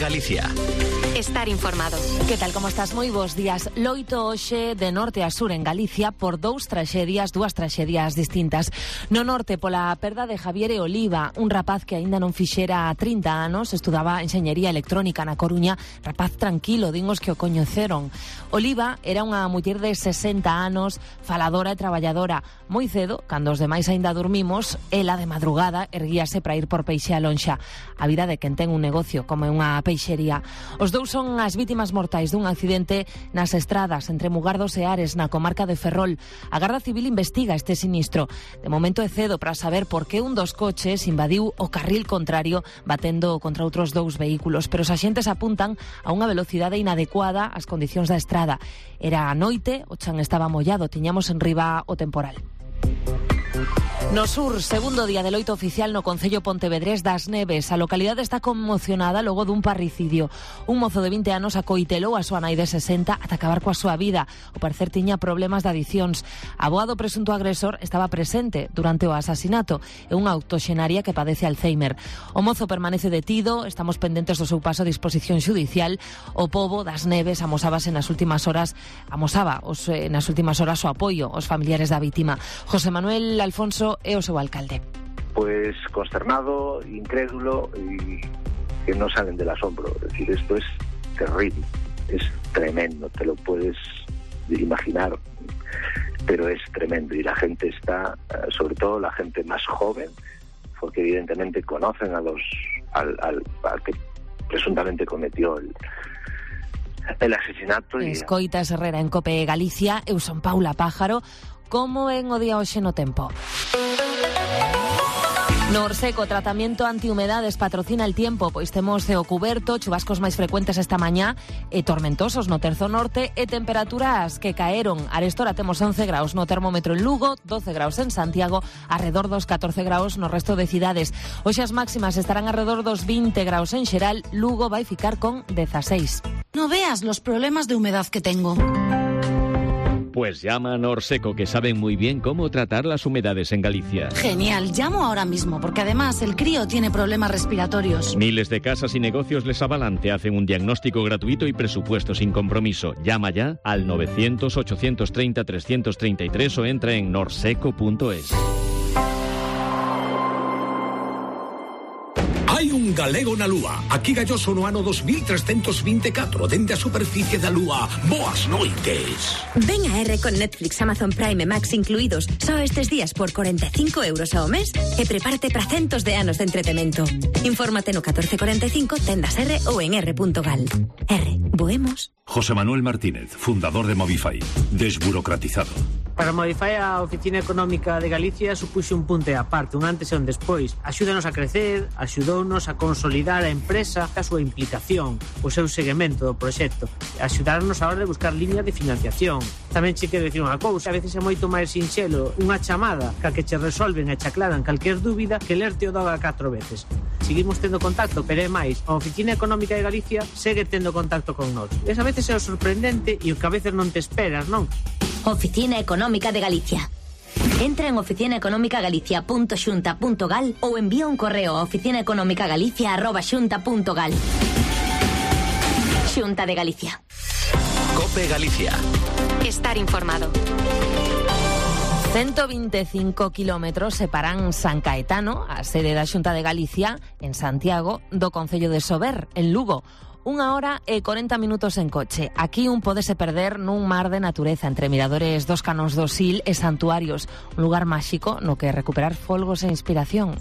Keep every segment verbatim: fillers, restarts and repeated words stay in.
Galicia. Estar informado. Que tal, como estás? Moi bons días. Loito hoxe de norte a sur en Galicia por dous traxedias, dúas traxedias distintas. No norte, pola perda de Javier Oliva, un rapaz que aínda non fixera trinta anos, estudaba enxeñería electrónica na Coruña, rapaz tranquilo, din os que o coñeceron. Oliva era unha muller de sesenta anos, faladora e traballadora. Moi cedo, cando os demais aínda dormimos, ela de madrugada erguíase para ir por peixe a lonxa. A vida de quen ten un negocio como é unha peixería. Os dous son as vítimas mortais dun accidente nas estradas entre Mugardos e Ares, na comarca de Ferrol. A Garda Civil investiga este sinistro. De momento é cedo para saber por que un dos coches invadiu o carril contrario batendo contra outros dous vehículos, pero os axentes apuntan a unha velocidade inadecuada ás condicións da estrada. Era a noite, o chan estaba mollado, tiñamos en riba o temporal. No sur, segundo día de loito oficial no concello pontevedrés das Neves. A localidade está conmocionada logo dun parricidio. Un mozo de vinte anos acoitelou a súa nai de sesenta ata acabar coa súa vida. O parecer tiña problemas de adiccións. A avoa do presunto agresor estaba presente durante o asasinato. É unha octoxenaria que padece Alzheimer. O mozo permanece detido, estamos pendentes do seu paso a disposición xudicial. O pobo das Neves amosábase nas últimas horas, amosaba os, eh, nas últimas horas o apoio aos familiares da vítima. José Manuel Alfonso é o seu alcalde. Pues consternado, incrédulo y que no salen del asombro. Es decir, esto es terrible, es tremendo, te lo puedes imaginar, pero es tremendo y la gente está, sobre todo la gente más joven, porque evidentemente conocen a los al, al, al que presuntamente cometió el el asesinato. Y... Escoitas Herrera en Cope Galicia, eu son Paula Pájaro. Como en o día hoxe no tempo? No Orseco, tratamento antihumedades patrocina el tiempo, pois temos ceo cuberto, chubascos máis frecuentes esta mañá e tormentosos no terzo norte e temperaturas que caeron. Arestora temos once graus no termómetro en Lugo, doce graus en Santiago, arredor dos catorce graus no resto de cidades. Hoxe as máximas estarán arredor dos vinte graus en xeral, Lugo vai ficar con dezaseis. No veas los problemas de humedad que tengo. Pues llama a Norseco, que saben muy bien cómo tratar las humedades en Galicia. Genial, llamo ahora mismo, porque además el crío tiene problemas respiratorios. Miles de casas y negocios les avalan, te hacen un diagnóstico gratuito y presupuesto sin compromiso. Llama ya al novecientos, ochocientos treinta, trescientos treinta y tres o entra en norseco punto es. Hai un galego na Lúa. Aquí galloso no ano dos mil trescentos vinte e catro, dende a superficie da Lúa. Boas noites. Ven a R con Netflix, Amazon Prime e Max incluídos só estes días por cuarenta e cinco euros ao mes e prepárate para centos de anos de entretemento. Infórmate no catorce cuarenta e cinco, tendas R ou en r punto gal. R, voemos. José Manuel Martínez, fundador de Movify. Desburocratizado. Para Movify, a Oficina Económica de Galicia supuxe un punto e aparte, un antes e un despois. Axúdanos a crecer, axudounos a consolidar a empresa, a súa implicación, o seu seguimento do proxecto, axudarnos a hora de buscar línea de financiación. Tamén che quero dicir unha cousa, a veces é moito máis sinxelo unha chamada ca que che resolven e che aclaran calquer dúbida que lerte o doga catro veces. Seguimos tendo contacto, pero é máis, a Oficina Económica de Galicia segue tendo contacto con nós. E a veces é o sorprendente e o que a veces non te esperas, non? Oficina Económica de Galicia. Entra en oficina económica galicia punto xunta punto gal ou envía un correo a oficina económica galicia arroba xunta punto gal. Xunta de Galicia. Cope Galicia. Estar informado. ciento veinticinco kilómetros separan San Caetano, a sede da Xunta de Galicia, en Santiago, do concello de Sober, en Lugo. Unha hora e corenta minutos en coche. Aquí un pódese perder nun mar de natureza entre miradores dos Canóns do Sil e santuarios. Un lugar máxico no que recuperar folgos e inspiración.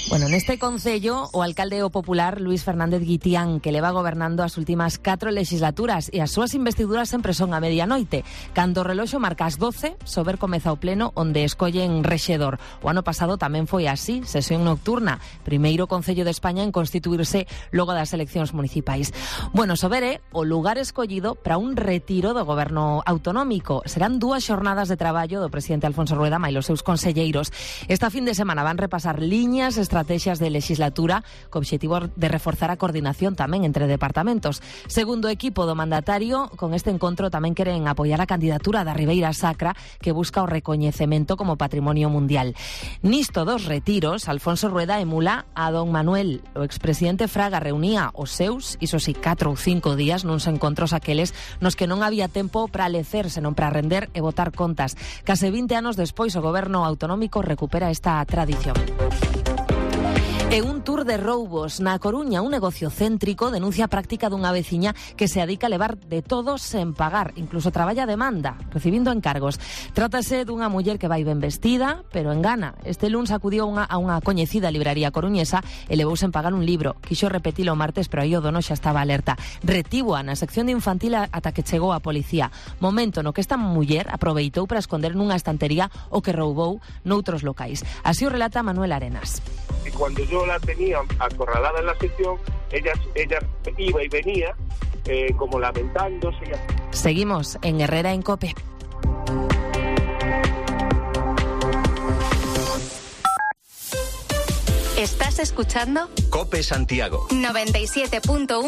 Bueno, neste concello, o alcalde o popular Luís Fernández Guitián, que leva gobernando as últimas catro legislaturas e as súas investiduras sempre son a medianoite. Cando o reloxo marca as doce, Sober comeza o pleno onde escollen rexedor. O ano pasado tamén foi así, sesión nocturna, primeiro concello de España en constituirse logo das eleccións municipais. Bueno, Sober é o lugar escollido para un retiro do goberno autonómico. Serán dúas xornadas de traballo do presidente Alfonso Rueda máis os seus conselleiros. Esta fin de semana van repasar liñas estratégicas estrategias de legislatura co obxectivo de reforzar a coordinación tamén entre departamentos. Segundo equipo do mandatario, con este encontro tamén queren apoiar a candidatura da Ribeira Sacra, que busca o recoñecemento como patrimonio mundial. Nisto dos retiros, Alfonso Rueda emula a don Manuel. O expresidente Fraga reunía os seus, iso si, catro ou cinco días nuns encontros aqueles nos que non había tempo para lecer, senón para render e votar contas. Case vinte anos despois, o goberno autonómico recupera esta tradición. E un tour de roubos na Coruña, un negocio céntrico denuncia a práctica dunha veciña que se adica a levar de todo sen pagar, incluso traballa a demanda, recibindo encargos. Trátase dunha muller que vai ben vestida, pero engana. Este luns acudiu unha, a unha coñecida libraría coruñesa e levou sen pagar un libro. Quixo repetilo o martes, pero aí o dono xa estaba alerta. Retívoa na sección de infantil ata que chegou a policía. Momento no que esta muller aproveitou para esconder nunha estantería o que roubou noutros locais. Así o relata Manuel Arenas. Y cuando yo la tenía acorralada en la sección, ella, ella iba y venía eh, como lamentándose. Seguimos en Herrera en COPE. ¿Estás escuchando? COPE Santiago noventa y siete punto uno